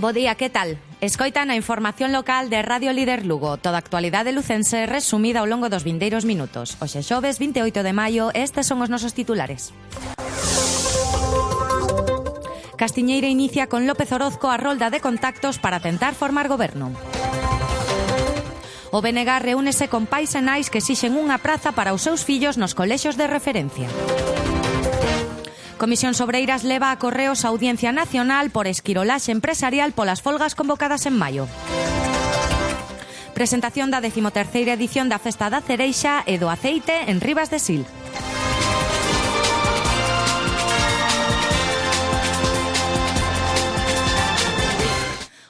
Bo día, que tal? Escoitan a información local de Radio Líder Lugo. Toda a actualidade lucense resumida ao longo dos vindeiros minutos. Hoxe xoves 28 de maio, estes son os nosos titulares. Castiñeira inicia con López Orozco a rolda de contactos para tentar formar goberno. O BNG reúnese con pais e nais que exixen unha praza para os seus fillos nos colexios de referencia. Comisión Sobreiras leva a Correos a Audiencia Nacional por esquirolaxe empresarial polas folgas convocadas en maio. Presentación da 13ª edición da Festa da Cereixa e do Aceite en Ribas de Sil.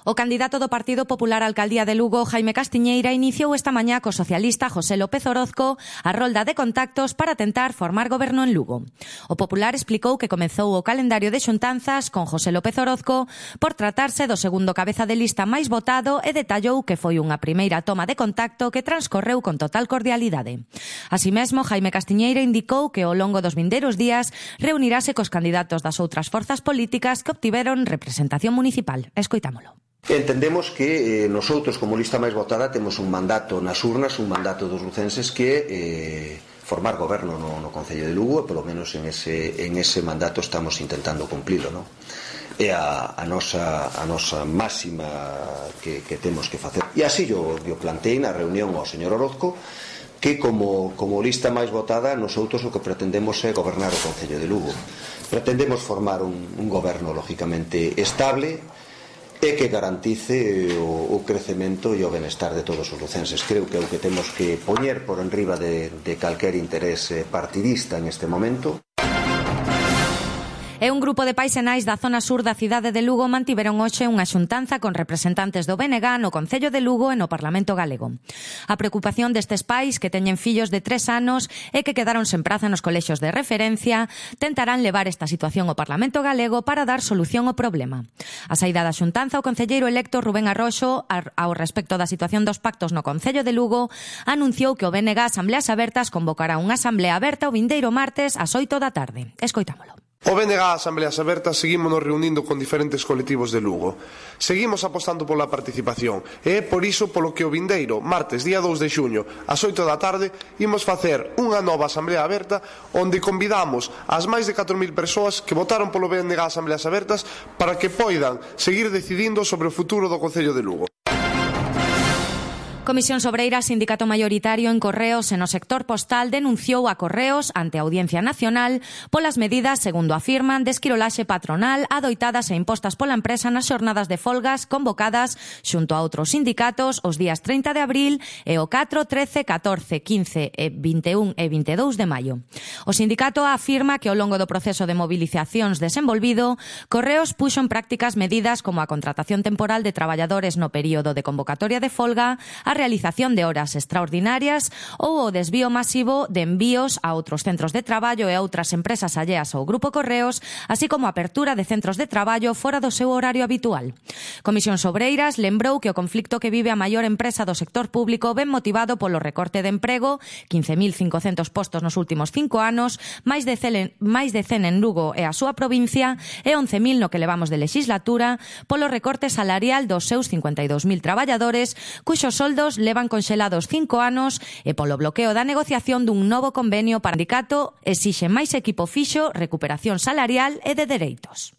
O candidato do Partido Popular á Alcaldía de Lugo, Jaime Castiñeira, iniciou esta mañá co socialista José López Orozco a rolda de contactos para tentar formar goberno en Lugo. O Popular explicou que comezou o calendario de xuntanzas con José López Orozco por tratarse do segundo cabeza de lista máis votado e detallou que foi unha primeira toma de contacto que transcorreu con total cordialidade. Así mesmo, Jaime Castiñeira indicou que ao longo dos vindeiros días reunirase cos candidatos das outras forzas políticas que obtiveron representación municipal. Escoitámolo. Entendemos que nosotros, como lista máis votada, temos un mandato nas urnas, un mandato dos lucenses que formar goberno no Concello de Lugo, e polo menos en ese mandato estamos intentando cumplilo, non? É a nosa máxima que temos que facer. E así yo plantei na reunión ao señor Orozco que como lista máis votada nosotros o que pretendemos é gobernar o Concello de Lugo. Pretendemos formar un goberno lógicamente estable e que garantice o crecemento e o benestar de todos os lucenses. Creo que é o que temos que poñer por enriba de calquer interés partidista en este momento. E un grupo de pais e nais da zona sur da cidade de Lugo mantiveron hoxe unha xuntanza con representantes do BNG no Concello de Lugo e no Parlamento Galego. A preocupación destes pais que teñen fillos de 3 anos e que quedaron sen praza nos colexios de referencia tentarán levar esta situación ao Parlamento Galego para dar solución ao problema. A saída da xuntanza, o concelleiro electo Rubén Arroxo, ao respecto da situación dos pactos no Concello de Lugo, anunciou que o BNG Asambleas Abertas convocará unha asamblea aberta o vindeiro martes ás 8 da tarde. Escoitámolo. O BNG Asambleas Abertas seguímonos reunindo con diferentes colectivos de Lugo. Seguimos apostando pola participación e é por iso polo que o vindeiro, martes, día 2 de xuño, ás 8 da tarde, imos facer unha nova Asamblea Aberta onde convidamos as máis de 4.000 persoas que votaron polo BNG Asambleas Abertas para que poidan seguir decidindo sobre o futuro do Concello de Lugo. Comisión Sobreira, sindicato maioritario en Correos e no sector postal, denunciou a Correos ante a Audiencia Nacional polas medidas, segundo afirman, de esquirolaxe patronal adoitadas e impostas pola empresa nas xornadas de folgas convocadas xunto a outros sindicatos os días 30 de abril e o 4, 13, 14, 15, 21 e 22 de maio. O sindicato afirma que ao longo do proceso de movilizacións desenvolvido, Correos puxo en prácticas medidas como a contratación temporal de traballadores no período de convocatoria de folga, a realización de horas extraordinarias ou o desvío masivo de envíos a outros centros de traballo e a outras empresas alleas ao Grupo Correos, así como a apertura de centros de traballo fora do seu horario habitual. Comisión Sobreiras lembrou que o conflicto que vive a maior empresa do sector público ven motivado polo recorte de emprego, 15.500 postos nos últimos 5 anos, máis de 100 en Lugo e a súa provincia e 11.000 no que levamos de legislatura, polo recorte salarial dos seus 52.000 traballadores, cuxos soldos levan conxelados 5 anos e polo bloqueo da negociación dun novo convenio para o sindicato exixe máis equipo fixo, recuperación salarial e de dereitos.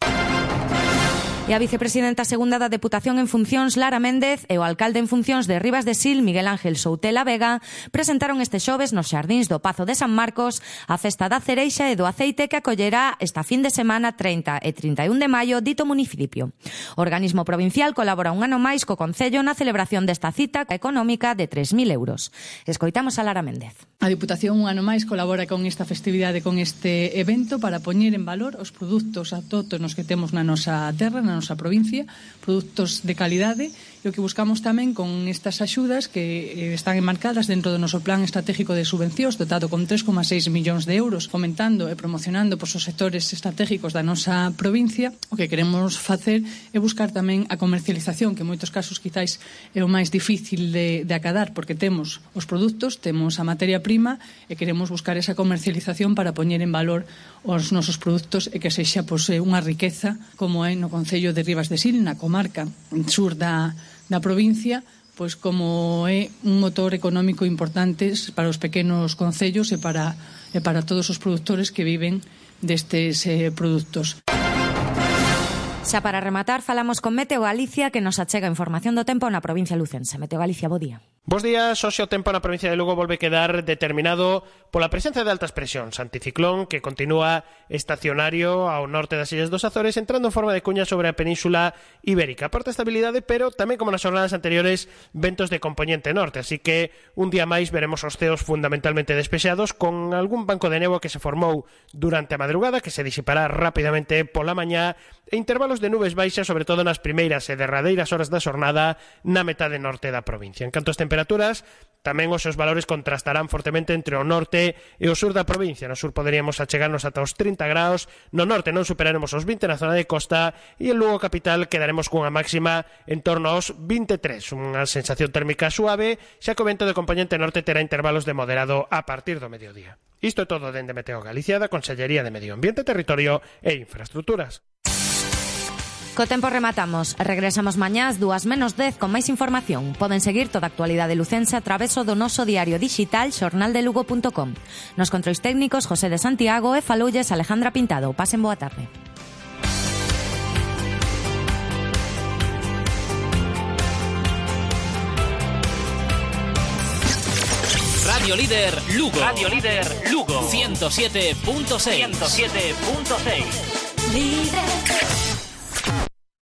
E a vicepresidenta segunda da Deputación en funcións, Lara Méndez, e o alcalde en funcións de Ribas de Sil, Miguel Ángel Soutela Vega, presentaron este xoves nos xardíns do Pazo de San Marcos a Festa da Cereixa e do Aceite que acollerá esta fin de semana 30 e 31 de maio dito municipio. O organismo provincial colabora un ano máis co Concello na celebración desta cita económica de 3.000 euros. Escoitamos a Lara Méndez. A Deputación un ano máis colabora con esta festividade, con este evento, para poñer en valor os produtos autóctonos que temos na nosa terra, na nosa provincia, produtos de calidade, e E o que buscamos tamén con estas axudas que están enmarcadas dentro do noso plan estratégico de subvencións dotado con 3,6 millóns de euros, fomentando e promocionando os sectores estratégicos da nosa provincia, o que queremos facer é buscar tamén a comercialización, que en moitos casos quizáis é o máis difícil de acadar, porque temos os produtos, temos a materia prima e queremos buscar esa comercialización para poñer en valor os nosos produtos e que sexa unha riqueza como é no concello de Ribas de Sil, na comarca sur da provincia, pois como é un motor económico importante para os pequenos concellos e para todos os produtores que viven destes produtos. Xa para rematar, falamos con Meteo Galicia, que nos achega información do tempo na provincia lucense. Meteo Galicia, bo día. Bos días, hoxe o tempo na provincia de Lugo volve quedar determinado pola presencia de altas presións, anticiclón que continúa estacionario ao norte das Illas dos Azores, entrando en forma de cuña sobre a península ibérica. Aporta estabilidade, pero tamén como nas jornadas anteriores, ventos de compoñente norte, así que un día máis veremos os ceos fundamentalmente despexados, con algún banco de néboa que se formou durante a madrugada, que se disipará rapidamente pola mañá, e intervalos de nubes baixas, sobre todo nas primeiras e derradeiras horas da xornada na metade norte da provincia. En canto ás temperaturas, tamén os seus valores contrastarán fortemente entre o norte e o sur da provincia. No sur poderíamos achegarnos ata os 30 graus, no norte non superaremos os 20 na zona de costa e en Lugo capital quedaremos cunha máxima en torno aos 23, unha sensación térmica suave, xa que o vento de compoñente norte terá intervalos de moderado a partir do mediodía. Isto é todo dende Meteo Galicia, da Consellería de Medio Ambiente, Territorio e Infraestructuras. Co tempo rematamos. Regresamos mañá ás 2:10 con máis información. Poden seguir toda a actualidade lucense a traveso do noso diario digital xornaldelugo.com. Nos controis técnicos José de Santiago e faloulles Alejandra Pintado. Pasen boa tarde. Radio Líder Lugo. Radio Líder Lugo. 107.6. 107.6. Líder.